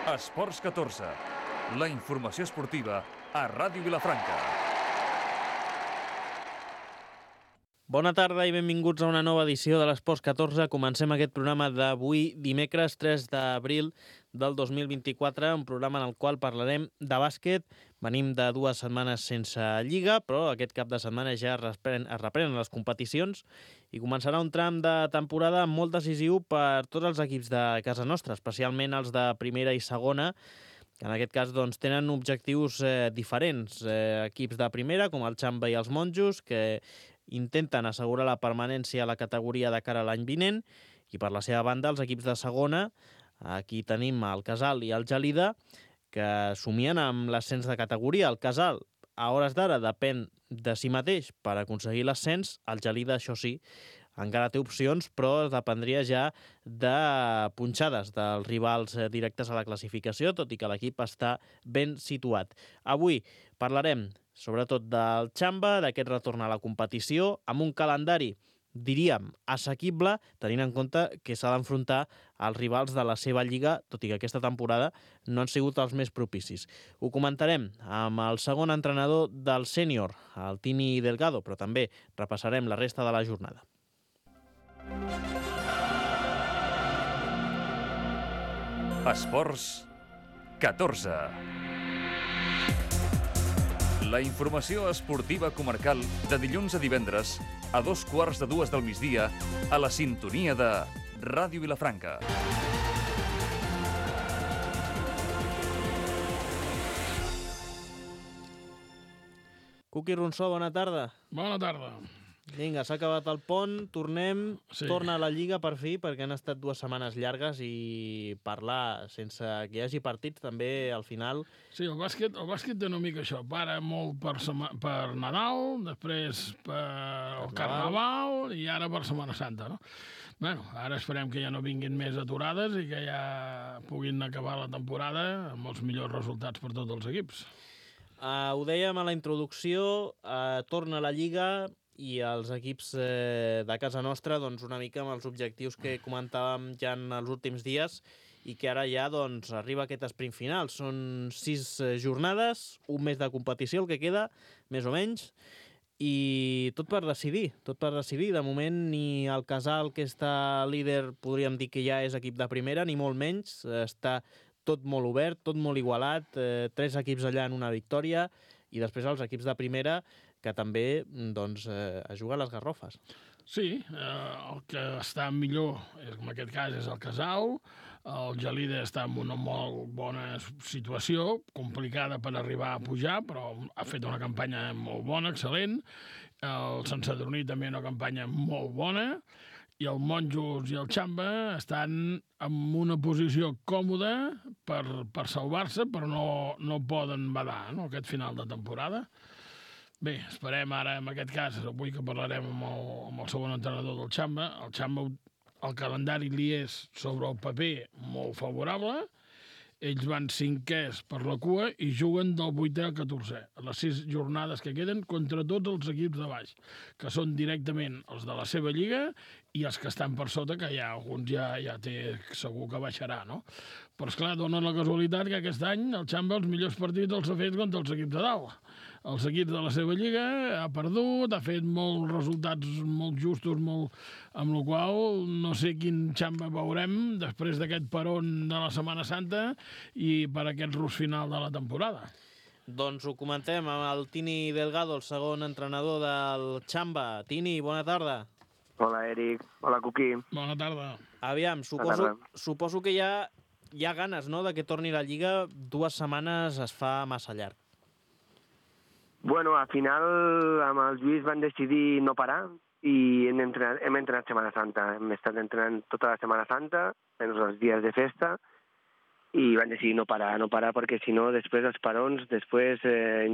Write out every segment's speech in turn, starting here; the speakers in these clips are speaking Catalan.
Esports 14, la informació esportiva a Ràdio Vilafranca. Bona tarda i benvinguts a una nova edició de l'Esports 14. Comencem aquest programa d'avui, dimecres 3 d'abril del 2024, un programa en el qual parlarem de bàsquet. Venim de 2 setmanes sense Lliga, però aquest cap de setmana ja es reprenen les competicions i començarà un tram de temporada molt decisiu per tots els equips de casa nostra, especialment els de primera i segona, que en aquest cas doncs, tenen objectius diferents. Equips de primera, com el Xamba i els Monjos, que intenten assegurar la permanència a la categoria de cara a l'any vinent, i per la seva banda els equips de segona, aquí tenim el Casal i el Gelida, que somien amb l'ascens de categoria. El Casal, a hores d'ara, depèn de si mateix per aconseguir l'ascens. El Gelida, això sí, encara té opcions, però dependria ja de punxades dels rivals directes a la classificació, tot i que l'equip està ben situat. Avui parlarem sobretot del Xamba, d'aquest retorn a la competició, amb un calendari, diríem, assequible, tenint en compte que s'ha d'enfrontar als rivals de la seva lliga, tot i que aquesta temporada no han sigut els més propicis. Ho comentarem amb el segon entrenador del sènior, el Tini Delgado, però també repassarem la resta de la jornada. Esports 14. La informació esportiva comarcal de dilluns a divendres a 2:15 del migdia a la sintonia de Ràdio Vilafranca. Cuqui Ronsó, bona tarda. Bona tarda. Vinga, s'ha acabat el pont, tornem, Sí. Torna a la Lliga per fi, perquè han estat 2 setmanes llargues i parlar sense que hi hagi partits també al final. Sí, el bàsquet té una mica això. Para molt per Nadal, després per Carnaval i ara per Setmana Santa, no? Bueno, ara esperem que ja no vinguin més aturades i que ja puguin acabar la temporada amb els millors resultats per tots els equips. Ho dèiem a la introducció, torna a la Lliga i els equips de casa nostra doncs, una mica amb els objectius que comentàvem ja en els últims dies i que ara ja doncs, arriba aquest sprint final. Són 6 jornades, un mes de competició el que queda, més o menys, i tot per decidir. De moment ni el Casal, que està líder, podríem dir que ja és equip de primera, ni molt menys. Està tot molt obert, tot molt igualat, 3 equips allà en una victòria, i després els equips de primera que també doncs, es juguen les garrofes. Sí, el que està millor, en aquest cas, és el Casal. El Gelida està en una molt bona situació, complicada per arribar a pujar, però ha fet una campanya molt bona, excel·lent. El Sant Sadurní també una campanya molt bona. I el Monjos i el Xamba estan en una posició còmoda per salvar-se, però no poden badar, no?, aquest final de temporada. Bé, esperem ara, en aquest cas, avui que parlarem amb el segon entrenador del Xamba. El Xamba, el calendari li és sobre el paper molt favorable. Ells van 5è per la cua i juguen del 8è al 14è, a les 6 jornades que queden contra tots els equips de baix, que són directament els de la seva lliga i els que estan per sota, que ja alguns ja té segur que baixarà, no? Però, esclar, dona la casualitat que aquest any el Xamba els millors partits els ha fet contra els equips de dalt. Els equips de la seva lliga ha perdut, ha fet molts resultats molt justos, amb la qual no sé quin Xamba veurem després d'aquest peron de la Setmana Santa i per aquest rus final de la temporada. Doncs ho comentem amb el Tini Delgado, el segon entrenador del Xamba. Tini, bona tarda. Hola, Eric. Hola, Cuqui. Bona tarda. Aviam, suposo que hi ha ganes, no?, de que torni la Lliga. 2 setmanes es fa massa llarg. Bueno, al final amb el Lluís van decidir no parar i hem entrenat Setmana Santa. Hem estat entrenant tota la Setmana Santa, menys els dies de festa, i van decidir no parar perquè si no després els parons, després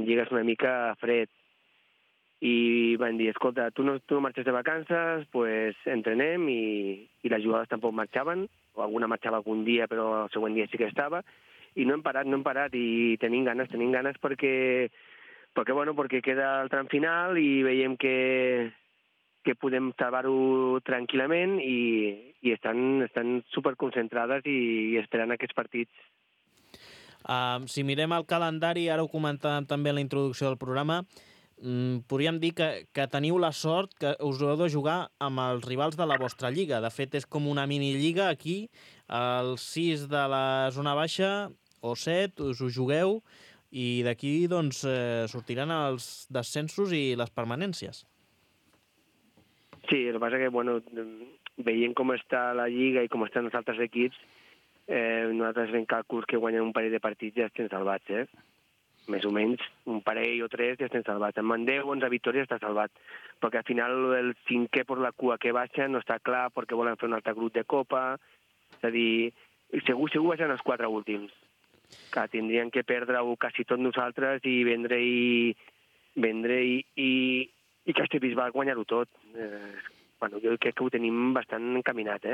lligues una mica fred. I van dir, escolta, tu no marxes de vacances, pues entrenem, i les jugades tampoc marxaven, o alguna marxava algun dia però el següent dia sí que estava, i no hem parat i tenim ganes perquè queda el tram final i veiem que podem salvar-ho tranquil·lament i estan superconcentrades i esperant aquests partits. Si mirem el calendari, ara ho comentàvem també en la introducció del programa, podríem dir que teniu la sort que us heu de jugar amb els rivals de la vostra lliga. De fet, és com una minilliga aquí, els 6 de la zona baixa, o 7, us ho jugueu, i d'aquí doncs, sortiran els descensos i les permanències. Sí, el que passa que, bueno, veient com està la lliga i com estan els altres equips, nosaltres fem càlculs que guanyen un parell de partits ja estem salvats, més o menys, un parell o 3 ja estem salvats. Amb 10 o 11 victòries està salvat, perquè al final el 5è per la cua que baixa no està clar perquè volen fer un altre grup de Copa, és a dir, segur baixen els 4 últims, que tindrien que perdre-ho quasi tot nosaltres i vendre i Castellbisbal guanyar-ho tot. Bueno, jo crec que ho tenim bastant encaminat,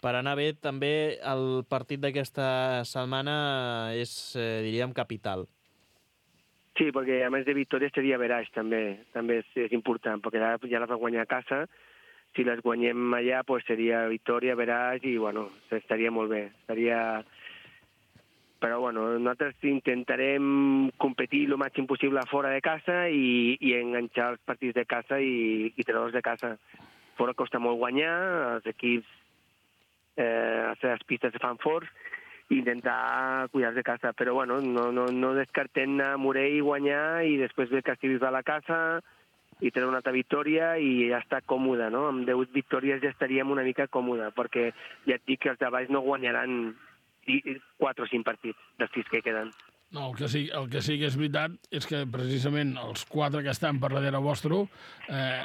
Per anar bé, també el partit d'aquesta setmana és, diríem, capital. Sí, perquè a més de victòries seria veraix, també és important, perquè ja les va guanyar a casa, si les guanyem allà pues seria victòria, veraix, i bueno, estaria molt bé. Però bueno, nosaltres intentarem competir el màxim possible fora de casa i enganxar els partits de casa i treure-los de casa. Fora costa molt guanyar, els equips a les pistes se fan forts, i intentar cuidar de casa, però bueno, no descartem anar a Morell i guanyar i després ve Castellbisbal a la casa i treure una altra victòria i ja està còmode, no? Amb 10 victòries ja estaríem una mica còmode, perquè ja et dic que els de baix no guanyaran 4 o 5 partits dels 6 que queden. No, el que sí que és veritat és que precisament els 4 que estan per darrere vostre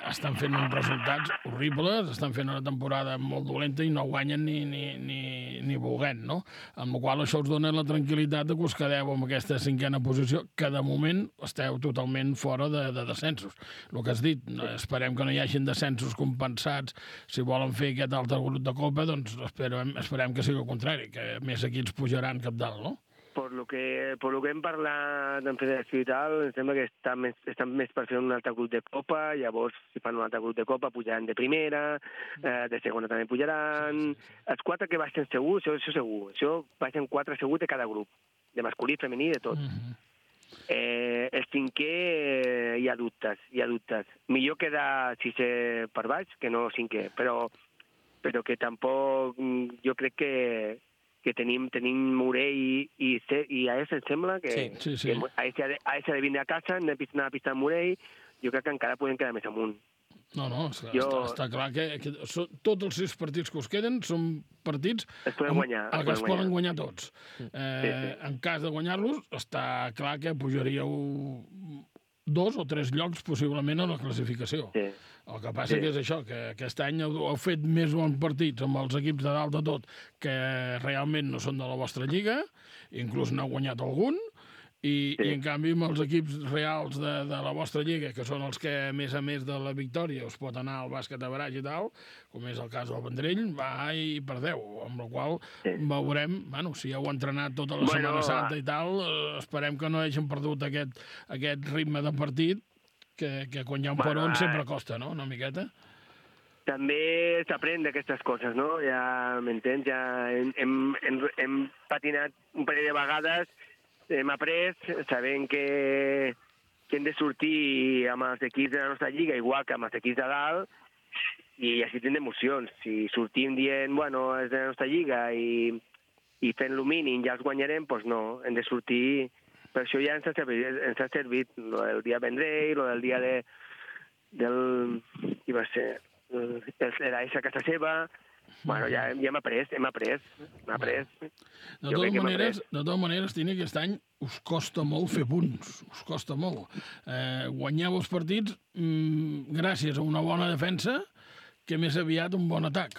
estan fent uns resultats horribles, estan fent una temporada molt dolenta i no guanyen ni volent, no? Amb la qual això us dona la tranquil·litat que us quedeu en aquesta 5a posició, que de moment esteu totalment fora de descensos. El que has dit, esperem que no hi hagin descensos compensats si volen fer aquest altre grup de Copa, doncs esperem que sigui el contrari, que més equips pujaran cap dalt, no? Per lo que hem parlat en federació i tal, em sembla que estan més per fer un altre grup de Copa, llavors si fan un altre grup de Copa pujaran de primera, de segona també pujaran. Sí. Els 4 que baixen segur, això segur. Això baixen 4 segur de cada grup, de masculí, femení, de tot. El 5è hi ha dubtes. Millor quedar 6è per baix que no 5è, però que tampoc jo crec que tenim Morell i AS, em sembla, que AS ha de vindre a casa, hem d'anar a pistar Morell, jo crec que encara podem quedar més amunt. No, està clar que tots els 6 partits que us queden són partits que es poden guanyar tots. En cas de guanyar-los, està clar que pujaríeu 2 o 3 llocs possiblement a la classificació. Sí. El que passa que és això, que aquest any heu fet més bons partits amb els equips de dalt de tot que realment no són de la vostra lliga, inclús n'heu guanyat algun, i en canvi amb els equips reals de la vostra lliga, que són els que a més de la victòria us pot anar al bàsquet a Baraix i tal, com és el cas del Vendrell, va i perdeu, amb la qual veurem, bueno, si heu entrenat tota la Setmana Santa i tal, esperem que no hagin perdut aquest ritme de partit, que quan hi ha un peron sempre costa, no?, una miqueta. També s'aprèn d'aquestes coses, no? Ja m'entens, ja hem patinat un parell de vegades, hem après, sabent que hem de sortir amb els equips de la nostra lliga, igual que amb els equips de dalt, i així tindrem emocions. Si sortim dient, bueno, és de la nostra lliga i fent-lo mínim ja els guanyarem, doncs no, hem de sortir. Per això ja ens ha servit el dia Vendrell, el dia del... Qui va ser? L'Aix a casa seva. Bueno, ja hem après. De totes maneres, Tini, aquest any us costa molt fer punts. Us costa molt. Guanyeu els partits gràcies a una bona defensa que més aviat un bon atac.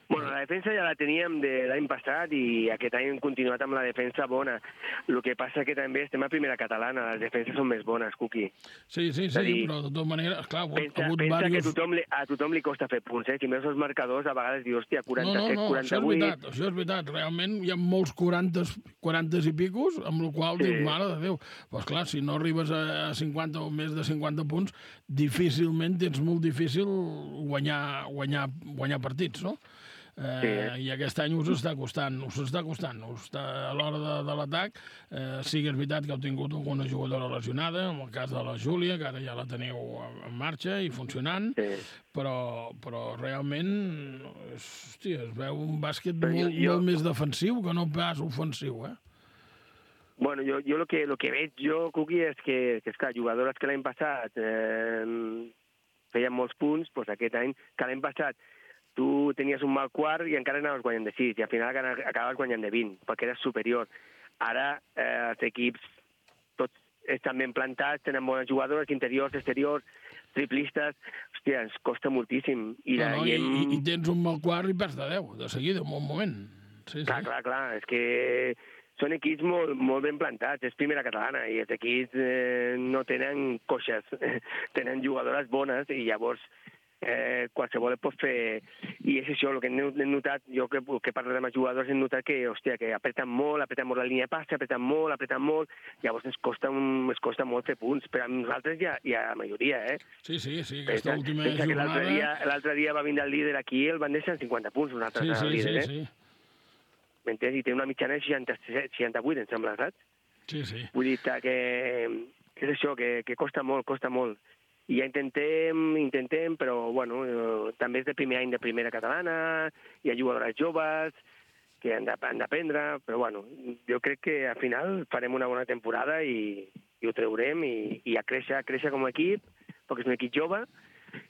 Bueno, la defensa ja la teníem de l'any passat i aquest any hem continuat amb la defensa bona. El que passa que també estem a primera catalana, les defenses són més bones, Cuqui. Sí, però de totes maneres, clar, pensa que a tothom li costa fer punts, Si veus els marcadors, a vegades dius, hòstia, 47, 48... Això és veritat, realment hi ha molts 40 i picos, amb el qual dius, mare de Déu. Però clar, si no arribes a 50 o més de 50 punts, difícilment tens molt difícil guanyar partits, no? I aquest any us està costant. A l'hora de l'atac, sí que és veritat que heu tingut alguna jugadora lesionada, en el cas de la Júlia, que ara ja la teniu en marxa i funcionant, però realment, hòstia, es veu un bàsquet molt més defensiu que no pas ofensiu, Bueno, yo lo que veig jo, Cuqui, és que esclar, jugadores que l'any passat feien molts punts, doncs aquest any, que l'any passat tu tenies un mal quart i encara anaves guanyant de 6, i al final acabaves guanyant de 20, perquè eres superior. Ara els equips tots estan ben plantats, tenen bones jugadores, interiors, exteriors, triplistes, hòstia, ens costa moltíssim. I tens un mal quart i perds de 10, de seguida, en un moment. Sí. Clar, és que són equips molt ben plantats, és primera catalana, i els equips no tenen coixes, tenen jugadores bones, i llavors qualsevol et pot fer... I és això, el que hem notat, jo que parlo amb els jugadors, hem notat que, hòstia, que apreten molt la línia de passe, apreten molt, llavors ens costa molt fer punts, però amb nosaltres ja la majoria, Sí, aquesta última jornada... L'altre dia va vindre el líder aquí, el van deixar en 50 punts, nosaltres el líder, Sí. M'entens? I té una mitjana de 68, em sembla, saps? Sí. Vull dir que és això, que costa molt. I ja intentem, però, bueno, també és de primer any de primera catalana, hi ha jugadores joves que han d'aprendre, però, bueno, jo crec que al final farem una bona temporada i ho traurem i a créixer com a equip, perquè és un equip jove,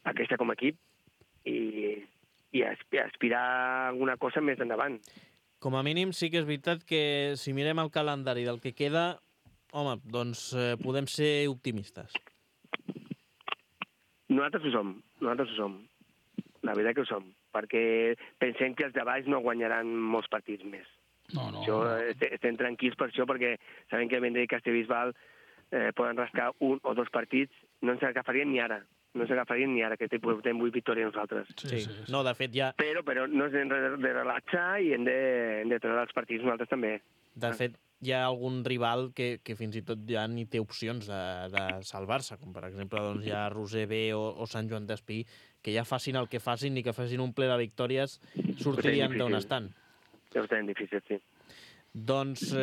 a créixer com a equip i aspirar a alguna cosa més endavant. Com a mínim, sí que és veritat que si mirem el calendari del que queda, home, doncs podem ser optimistes. Nosaltres ho som. La veritat que ho som, perquè pensem que els de baix no guanyaran molts partits més. No. Estem tranquils per això, perquè sabem que Vendrell i Castellbisbal poden rascar 1 o 2 partits, no ens agafarien ni ara. Que portem 8 victòries nosaltres. Sí. No, de fet, ja... Però no ens hem de relaxar i hem de treure els partits nosaltres també. De fet, hi ha algun rival que fins i tot ja ni té opcions de salvar-se, com per exemple doncs, hi ha Roser B o Sant Joan d'Espí, que ja facin el que facin ni que facin un ple de victòries, sortirien d'on estan. Ho tenen difícil, sí. Doncs,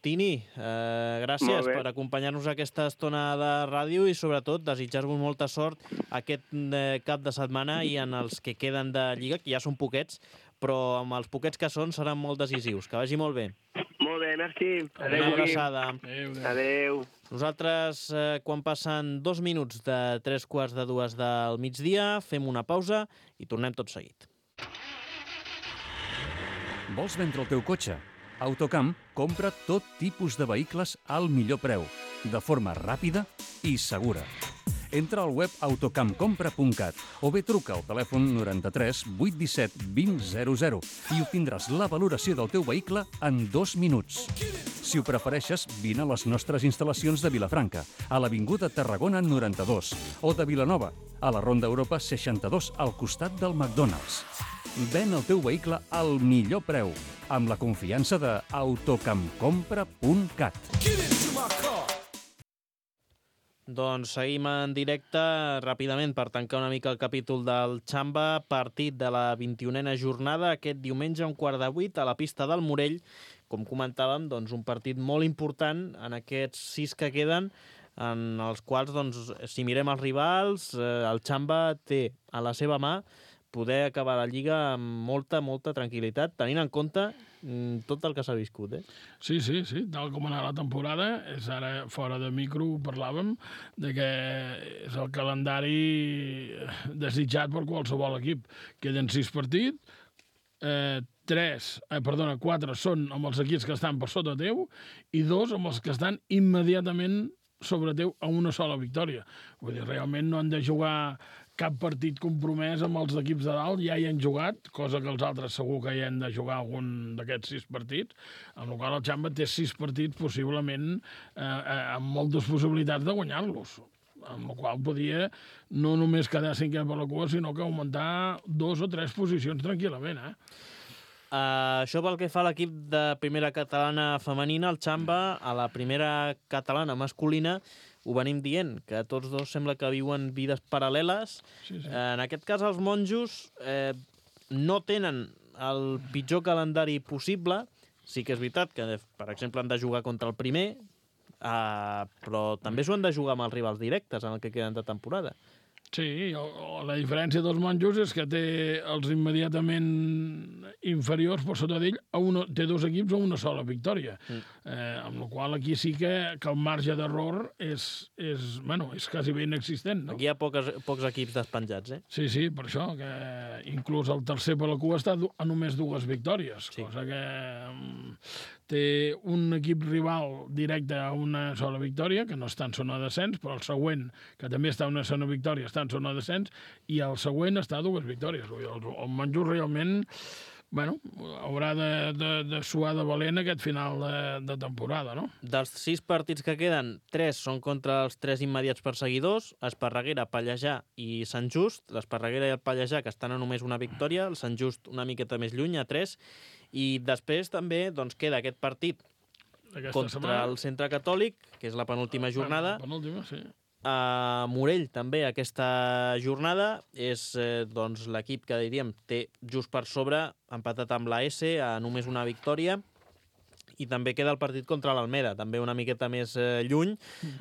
Tini, gràcies per acompanyar-nos aquesta estona de ràdio i, sobretot, desitjar-vos molta sort aquest cap de setmana i en els que queden de Lliga, que ja són poquets, però amb els poquets que són seran molt decisius. Que vagi molt bé. Molt bé, merci. Adéu. Una abraçada. Adéu. Nosaltres, quan passen 2 minuts de 3:45 del migdia, fem una pausa i tornem tot seguit. Vols vendre el teu cotxe? Autocamp compra tot tipus de vehicles al millor preu, de forma ràpida i segura. Entra al web autocampcompra.cat o bé truca al telèfon 93 817 2000 i obtindràs la valoració del teu vehicle en 2 minuts. Si ho prefereixes, vine a les nostres instal·lacions de Vilafranca, a l'Avinguda Tarragona 92, o de Vilanova, a la Ronda Europa 62, al costat del McDonald's. Ven el teu vehicle al millor preu, amb la confiança de autocampcompra.cat. Doncs seguim en directe ràpidament per tancar una mica el capítol del Xamba, partit de la 21a jornada aquest diumenge a 7:15 a la pista del Morell. Com comentàvem, doncs un partit molt important en aquests 6 que queden, en els quals, doncs, si mirem els rivals, el Xamba té a la seva mà poder acabar la Lliga amb molta tranquil·litat, tenint en compte tot el que s'ha viscut, Sí, tal com anava la temporada, és ara fora de micro, ho de que és el calendari desitjat per qualsevol equip. Queden 6 partits, 4 són amb els equips que estan per sota teu i 2 amb els que estan immediatament sobre teu a una sola victòria. Vull dir, realment no han de jugar cap partit compromès amb els equips de dalt, ja hi han jugat, cosa que els altres segur que hi han de jugar algun d'aquests 6 partits, amb la qual el Xamba té 6 partits possiblement amb moltes possibilitats de guanyar-los, amb la qual podia no només quedar 5è per la cua, sinó que augmentar 2 o 3 posicions tranquil·lament, Això pel que fa a l'equip de primera catalana femenina, el Xamba, a la primera catalana masculina, ho venim dient, que tots dos sembla que viuen vides paral·leles. Sí. En aquest cas, els monjos no tenen el pitjor calendari possible. Sí que és veritat que, per exemple, han de jugar contra el primer, però també s'ho han de jugar amb els rivals directes en el que queden de temporada. Sí, la diferència dels monjos és que té els immediatament inferiors per sota d'ell, té dos equips a una sola victòria. Amb la qual aquí sí que el marge d'error és quasi ben inexistent. No? Aquí hi ha pocs equips despenjats, eh? Sí, per això, que inclús el tercer per la cua està a només 2 victòries, sí. Cosa que té un equip rival directe a una sola victòria, que no està en zona de descens, però el següent, que també està en una zona victòria, està en zona de descens, i el següent està a 2 victòries. El monjo realment haurà de suar de valent aquest final de temporada, no? Dels 6 partits que queden, 3 són contra els 3 immediats perseguidors, Esparreguera, Pallejà i Sant Just. L'Esparreguera i el Pallejà, que estan a només una victòria, el Sant Just una miqueta més lluny, a 3, i després també queda aquest partit contra el Centre Catòlic, que és la penúltima jornada. La penúltima, sí. A Morell també aquesta jornada és l'equip que diríem té just per sobre, empatat amb la S a només una victòria, i també queda el partit contra l'Almeda, també una miqueta més lluny.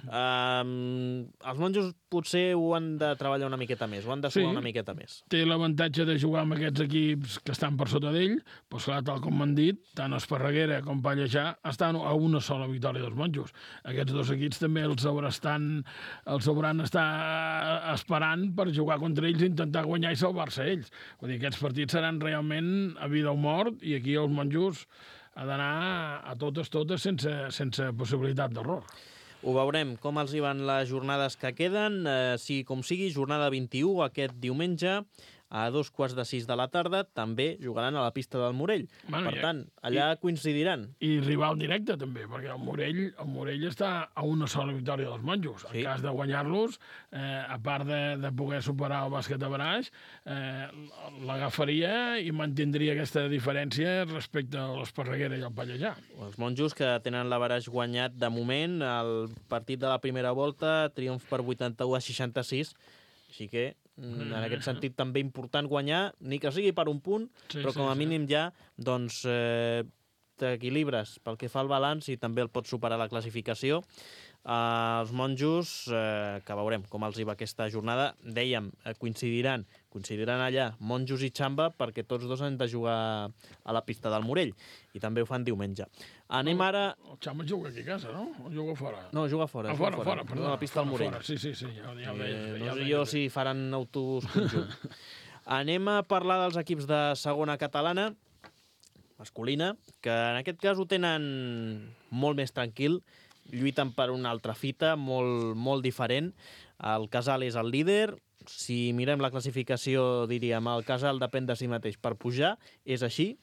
Els monjos potser ho han de treballar una miqueta més, ho han de suar una miqueta més. Té l'avantatge de jugar amb aquests equips que estan per sota d'ell, però clar, tal com m'han dit, tant Esparreguera com Pallejà estan a una sola victòria dels monjos. Aquests 2 equips també els hauran estar esperant per jugar contra ells, intentar guanyar i salvar-se ells. Vull dir, aquests partits seran realment a vida o mort, i aquí els monjos ha d'anar a totes sense possibilitat d'error. Ho veurem com els hi van les jornades que queden. Com sigui, jornada 21 aquest diumenge a 5:15 de la tarda, també jugaran a la pista del Morell. Per tant, allà coincidiran. I rival directe, també, perquè el Morell està a una sola victòria dels monjos. En cas de guanyar-los, a part de poder superar el bàsquet de Baraix, l'agafaria i mantindria aquesta diferència respecte a l'Esparreguera i el Pallejà. Els monjos que tenen la Baraix guanyat de moment, el partit de la primera volta, triomf per 81-66, així que en aquest sentit també important guanyar, ni que sigui per un punt, però com a mínim ja t'equilibres pel que fa al balanç i també el pots superar la classificació. Els monjos, que veurem com els hi va aquesta jornada, dèiem, coincidiran allà monjos i Xamba, perquè tots 2 han de jugar a la pista del Morell, i també ho fan diumenge. Anem ara... El Xamba juga aquí a casa, no? O juga fora? No, juga fora. Fora, perdó. A la pista del Morell. Sí, ja ho veig. No sé jo si faran autobús conjunt. Anem a parlar dels equips de segona catalana, masculina, que en aquest cas ho tenen molt més tranquil, lluiten per una altra fita, molt diferent. El Casal és el líder. Si mirem la classificació, diríem, el Casal depèn de si mateix per pujar, és així.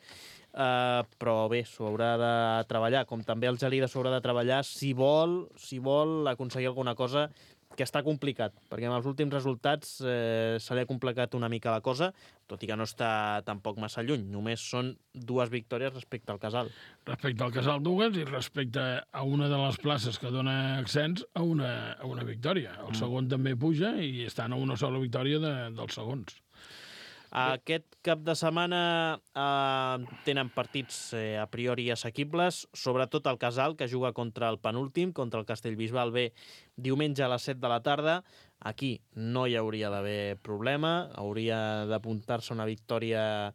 Però bé, s'ho haurà de treballar, com també el Gelida s'haurà de treballar si vol aconseguir alguna cosa, que està complicat, perquè amb els últims resultats se li ha complicat una mica la cosa, tot i que no està tampoc massa lluny. Només són 2 victòries respecte al Casal. Respecte al Casal, 2, i respecte a una de les places que dona accents a una victòria. El segon també puja i estan a una sola victòria dels segons. Aquest cap de setmana tenen partits a priori assequibles, sobretot el Casal, que juga contra el penúltim, contra el Castellbisbal B, diumenge a les 7 de la tarda. Aquí no hi hauria d'haver problema, hauria d'apuntar-se una victòria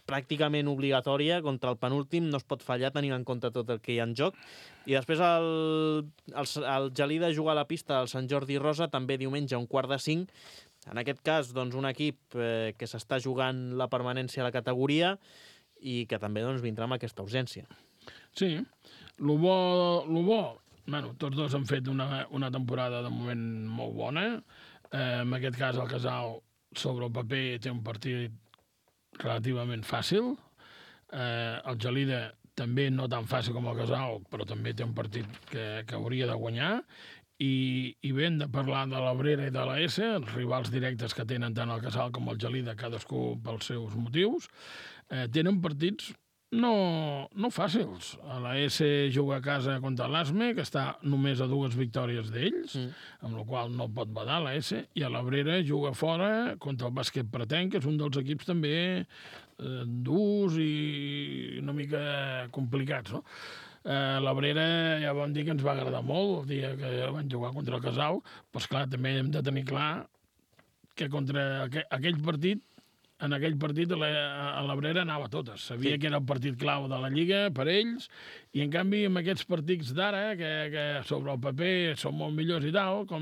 pràcticament obligatòria contra el penúltim, no es pot fallar tenint en compte tot el que hi ha en joc. I després el Gelida juga a la pista del Sant Jordi Rosa, també diumenge a 4:45. En aquest cas, un equip que s'està jugant la permanència a la categoria i que també vindrà amb aquesta urgència. Sí, lo bo, tots 2 han fet una temporada de moment molt bona. En aquest cas, el Casal, sobre el paper, té un partit relativament fàcil. El Gelida també no tan fàcil com el Casal, però també té un partit que hauria de guanyar. I bé, hem de parlar de l'Abrera i de la S, els rivals directes que tenen tant el Casal com el Gelida, cadascú pels seus motius. Tenen partits no fàcils. La S juga a casa contra l'Asme, que està només a 2 victòries d'ells, amb la qual no pot badar la S, i a l'Abrera juga fora contra el Bàsquet Pretén, que és un dels equips també durs i mica complicats, no? L'Abrera ja vam dir que ens va agradar molt el dia que van jugar contra el Casal, però esclar, també hem de tenir clar que contra aquell partit, en aquell partit a l'Abrera anava a totes. Sabia que era el partit clau de la Lliga per ells, i en canvi amb aquests partits d'ara, que sobre el paper són molt millors i tal, com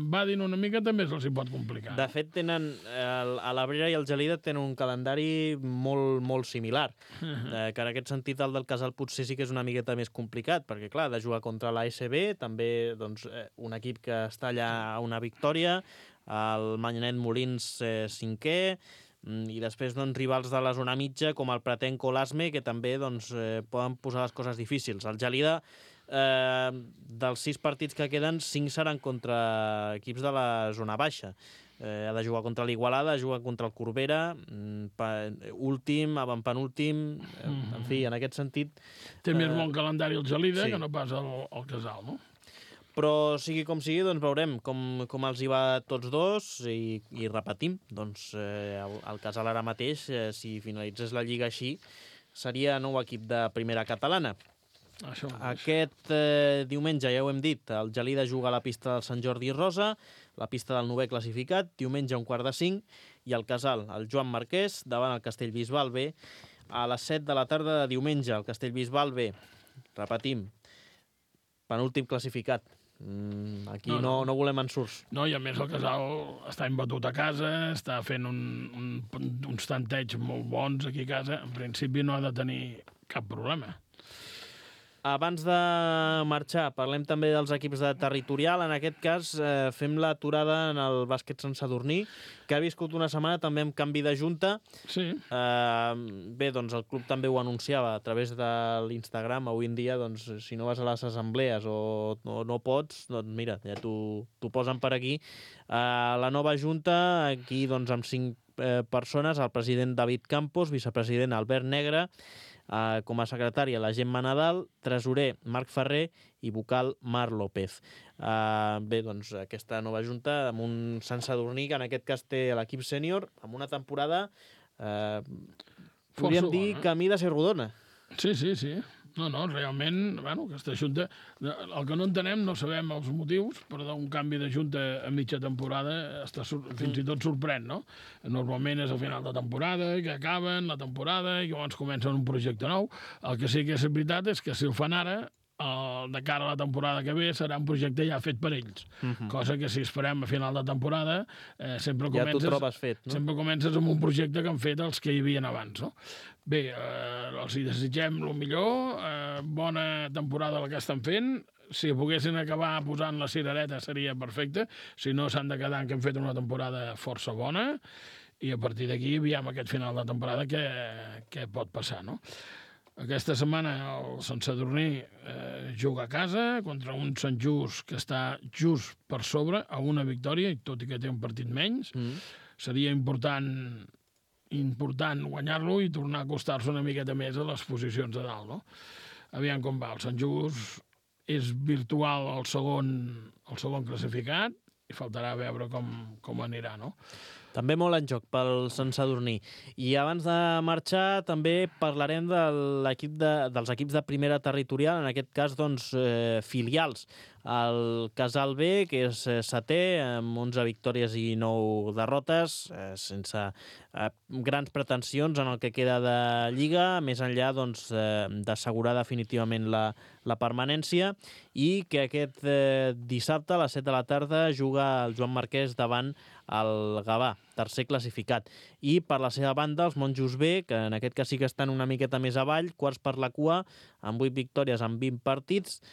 va dir una mica, també se'ls pot complicar. De fet, a l'Abrera i el Gelida tenen un calendari molt, molt similar, que en aquest sentit el del Casal potser sí que és una miqueta més complicat, perquè clar, ha de jugar contra l'ASB, també doncs, un equip que està allà a una victòria, el Manyanet Molins cinquè, i després doncs, rivals de la zona mitja com el Pratenco o l'Asme, que també doncs, poden posar les coses difícils. El Gelida, dels 6 partits que queden, 5 seran contra equips de la zona baixa. Ha de jugar contra l'Igualada, juga contra el Corbera, últim, avantpenúltim, en fi, en aquest sentit... Té més bon calendari el Gelida que no pas el Casal, no? Però sigui com sigui, doncs veurem com els hi va tots dos i repetim. Doncs el Casal ara mateix, si finalitzés la Lliga així, seria nou equip de primera catalana. Aquest diumenge, ja ho hem dit, el Gelida juga a la pista del Sant Jordi Rosa, la pista del 9è classificat, diumenge a 4:45, i el Casal, el Joan Marquès, davant el Castellbisbal B, a les 7 de la tarda de diumenge. El Castellbisbal B, repetim, penúltim classificat. Aquí no volem ensurts. No, i a més el Casal està imbatut a casa, està fent uns tanteigs molt bons aquí a casa. En principi no ha de tenir cap problema. Abans de marxar, parlem també dels equips de territorial. En aquest cas, fem l'aturada en el bàsquet Sant Sadurní, que ha viscut una setmana també amb canvi de junta. Sí. Bé, doncs el club també ho anunciava a través de l'Instagram. Avui en dia, doncs, si no vas a les assemblees o no pots, doncs mira, ja t'ho posen per aquí. La nova junta, aquí doncs amb 5 persones, el president David Campos, vicepresident Albert Negre, com a secretària la Gemma Nadal, tresorer Marc Ferrer i vocal Marc López. Bé, doncs aquesta nova junta amb un Sant Sadurní que en aquest cas té l'equip sènior amb una temporada podríem dir camí de ser rodona. Sí. No, realment, aquesta junta... El que no entenem, no sabem els motius, però un canvi de junta a mitja temporada fins i tot sorprèn, no? Normalment és al final de temporada, que acaben la temporada i llavors comencen un projecte nou. El que sí que és veritat és que si el fan ara, de cara a la temporada que ve, serà un projecte ja fet per ells. Cosa que si esperem a final de temporada, sempre comences... Ja t'ho trobes fet, no? Sempre comences amb un projecte que han fet els que hi havien abans, no? Bé, els hi desitgem el millor, bona temporada la que estan fent. Si poguessin acabar posant la cirereta seria perfecte, si no s'han de quedar en que han fet una temporada força bona, i a partir d'aquí aviam aquest final de temporada què pot passar, no? Aquesta setmana el Sant Sadurní juga a casa contra un Sant Just que està just per sobre a una victòria, i tot i que té un partit menys. Seria important guanyar-lo i tornar a acostar-se una miqueta més a les posicions de dalt, no? Aviam com va. El Sant Just és virtual el segon classificat i faltarà veure com anirà, no? També molt en joc pel Sant Sadurní. I abans de marxar també parlarem dels equips de primera territorial, en aquest cas doncs, filials. El Casal B, que és setè, amb 11 victòries i 9 derrotes, sense grans pretensions en el que queda de Lliga, més enllà doncs, d'assegurar definitivament la permanència, i que aquest dissabte a les 7 de la tarda juga el Joan Marquès davant el Gavà, tercer classificat. I per la seva banda, els Monjos B, que en aquest cas sí que estan una miqueta més avall, quarts per la cua, amb 8 victòries en 20 partits,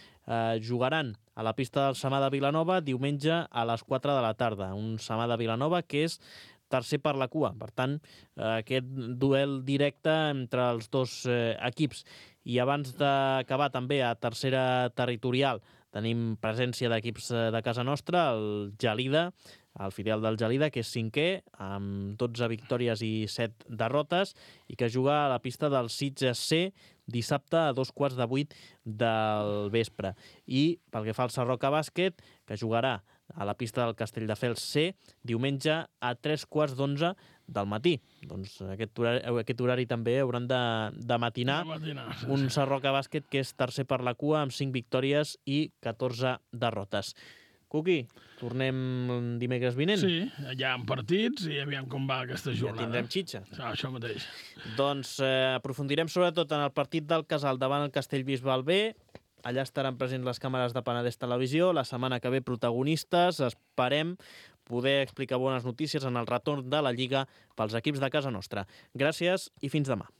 jugaran a la pista del Samà de Vilanova diumenge a les 4 de la tarda. Un Samà de Vilanova que és tercer per la cua. Per tant, aquest duel directe entre els dos equips. I abans d'acabar també a tercera territorial tenim presència d'equips de casa nostra, el Gelida, el filial del Gelida, que és cinquè, amb 12 victòries i 7 derrotes, i que juga a la pista del Sitges C dissabte a 7:15 del vespre. I pel que fa al Sarroca Bàsquet, que jugarà a la pista del Castelldefels C diumenge a 11:45 del matí. Doncs aquest horari també hauran de matinar un Sarroca Bàsquet que és tercer per la cua amb 5 victòries i 14 derrotes. Cuqui, tornem dimecres vinent? Sí, ja en partits i aviam com va aquesta jornada. Ja tindrem xitxa. Això mateix. Doncs aprofundirem sobretot en el partit del Casal davant el Castellbisbal B. Allà estaran presents les càmeres de Penedès Televisió. La setmana que ve protagonistes. Esperem poder explicar bones notícies en el retorn de la Lliga pels equips de casa nostra. Gràcies i fins demà.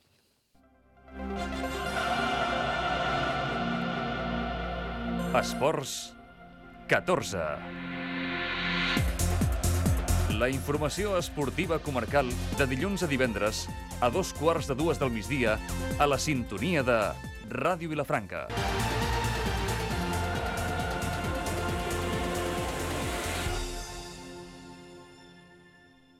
Esports 14. La informació esportiva comarcal de dilluns a divendres a 2:15 del migdia a la sintonia de Ràdio Vilafranca.